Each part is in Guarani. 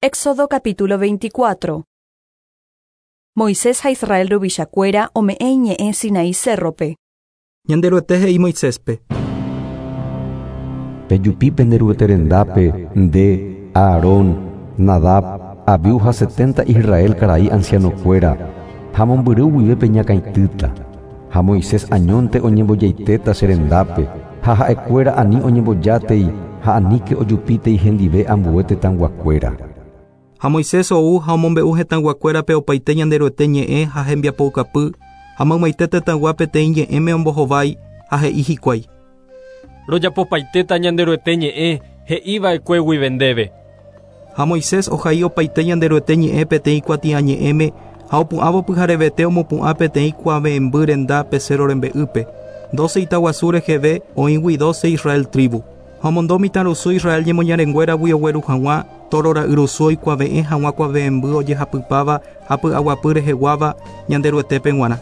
Éxodo capítulo 24. Moisés ha Israel ruvichakuéra ome'ẽ iñe'ẽ Sinaí cérrope. Ñanderuete he'i Moiséspe. Pejupi pende Ruete rendápe, nde, Aarón, Nadab, Abiú ha setenta Israel karai ancianokuéra, ha mombyry guive peñakãitýta. Ha Moisés añónte oñembojaitéta che rendápe, ha ha'ekuéra ani oñembojátei ha aníke ojupítei hendive ambue tetãyguakuéra. Ha Moisés ou ha omombe'u hetãyguakuérape opaite Ñanderuete ñe'ẽ ha hembiapoukapy, ha maymaite tetãygua peteĩ ñe'ẽme ombohovái ha he'i hikuái. Rojapopaitéta Ñanderuete ñe'ẽ he'iva'ekue guive ndéve. Ha Moisés ohai opaite Ñanderuete ñe'ẽ peteĩ kuatiañe'ẽme ha opu'ãvo pyharevete omopu'ã peteĩ kuave'ẽmby renda pe cérro rembe'ýpe, doce itaguasu reheve oĩgui doce Israel tribu. Ha omondo mitãrusu Israel ñemoñarenguéragui ogueru hag̃ua tóro ra'yrusu oikuave'ẽ hag̃ua kuave'ẽmby ojehapypáva ha py'aguapy reheguáva Ñanderuetépe g̃uarã.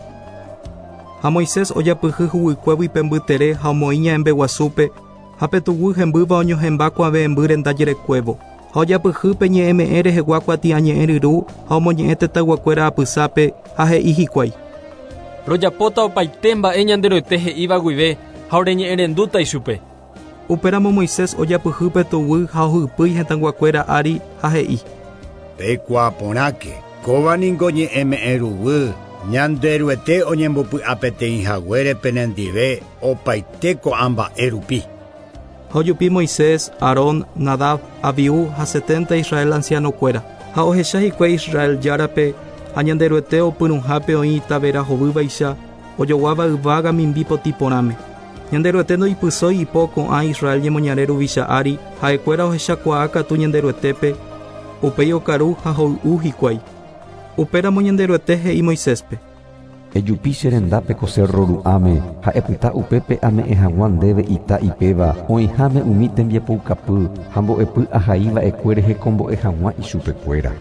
Ha Moisés ojapyhy huguykuégui pe mbytere ha omoĩ ña'ẽmbe guasúpe, ha pe tuguy hembýva oñohẽmba kuave'ẽmby renda jerekuévo. Ha ojapyhy pe ñe'ẽme'ẽ rehegua kuatiañe'ẽ ryru ha omoñe'ẽ tetãyguakuéra apysápe ha he'i hikuái. Rojapóta opaite mba'e Ñanderuete he'íva guive ha oreñe'ẽrendúta ichupe. Upéramo Moisés ojapyhy pe tuguy ha ohypýi hetãyguakuéra ári ha he'i. Peikuaa porãke, kóva ningo ñe'ẽme'ẽ ruguy, Ñanderuete oñembopy'apeteĩ haguére penendive opaite ko'ã mba'e rupi. Ha ojupi Moisés, Aarón, Nadab, Abiú ha setenta Israel ancianokuéra. Ha ohecha hikuái Israel Járape ha Ñanderuete opyrũhápe oĩ itavera hovývaicha, ojoguáva yvága mimbi potĩ porãme. Ñanderuete ndoipysói ipo ko'ã Israel ñemoñare ruvicha ári, ha'ekuéra ohechakuaa katu Ñanderuetépe, upéi okaru ha hoy'u hikuái. Upéramo Ñanderuete he'i Moiséspe. Ejupi che rendápe ko cérro ru'ãme ha epyta upépe ame'ẽ hag̃ua ndéve ita ipéva oĩháme umi tembiapoukapy ha mbo'epy ahai va'ekue rehekombo'e hag̃ua ichupekuéra.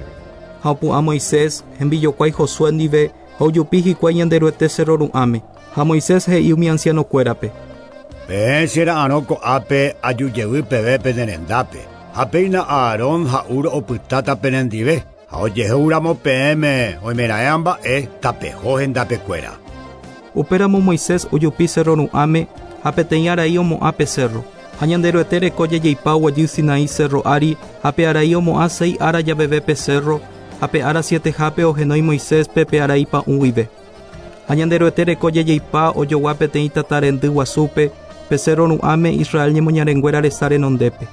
Ha opu'ã Moisés, hembijokuái Josué ndive, ha ojupi hikuái Ñanderuete cérro ru'ãme. Ha Moisés he'i umi ancianokuérape. Peẽ che ra'arõ ko'ápe aju jevy peve pene rendápe, ha péina Aarón ha Hur opytáta penendive, ha ojehúramo peẽme oimeraẽ mba'e, tapeho hendapekuéra. Upéramo Moisés ojupi cérro ru'ãme, ha peteĩ arai omo'ã pe cérro. Ha Ñanderuete reko jajeipa oguejy Sinaí cérro ári, ha pe arai omo'ã seis ára javeve pe cérro, ha pe ára sietehápe ohenói Moiséspe pe arai pa'ũ guive. Ha Ñanderuete reko jajeipa ojogua peteĩ tata rendy guasúpe, pe cérro ru'ãme Israel ñemoñarenguéra resa renondépe.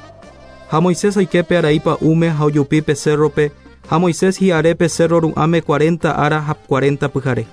Ha Moisés oike pe arai pa'ũme ha ojupi pe cérrope, ha Moisés hi'are pe cérro ru'ãme cuarenta ára ha cuarenta pyhare.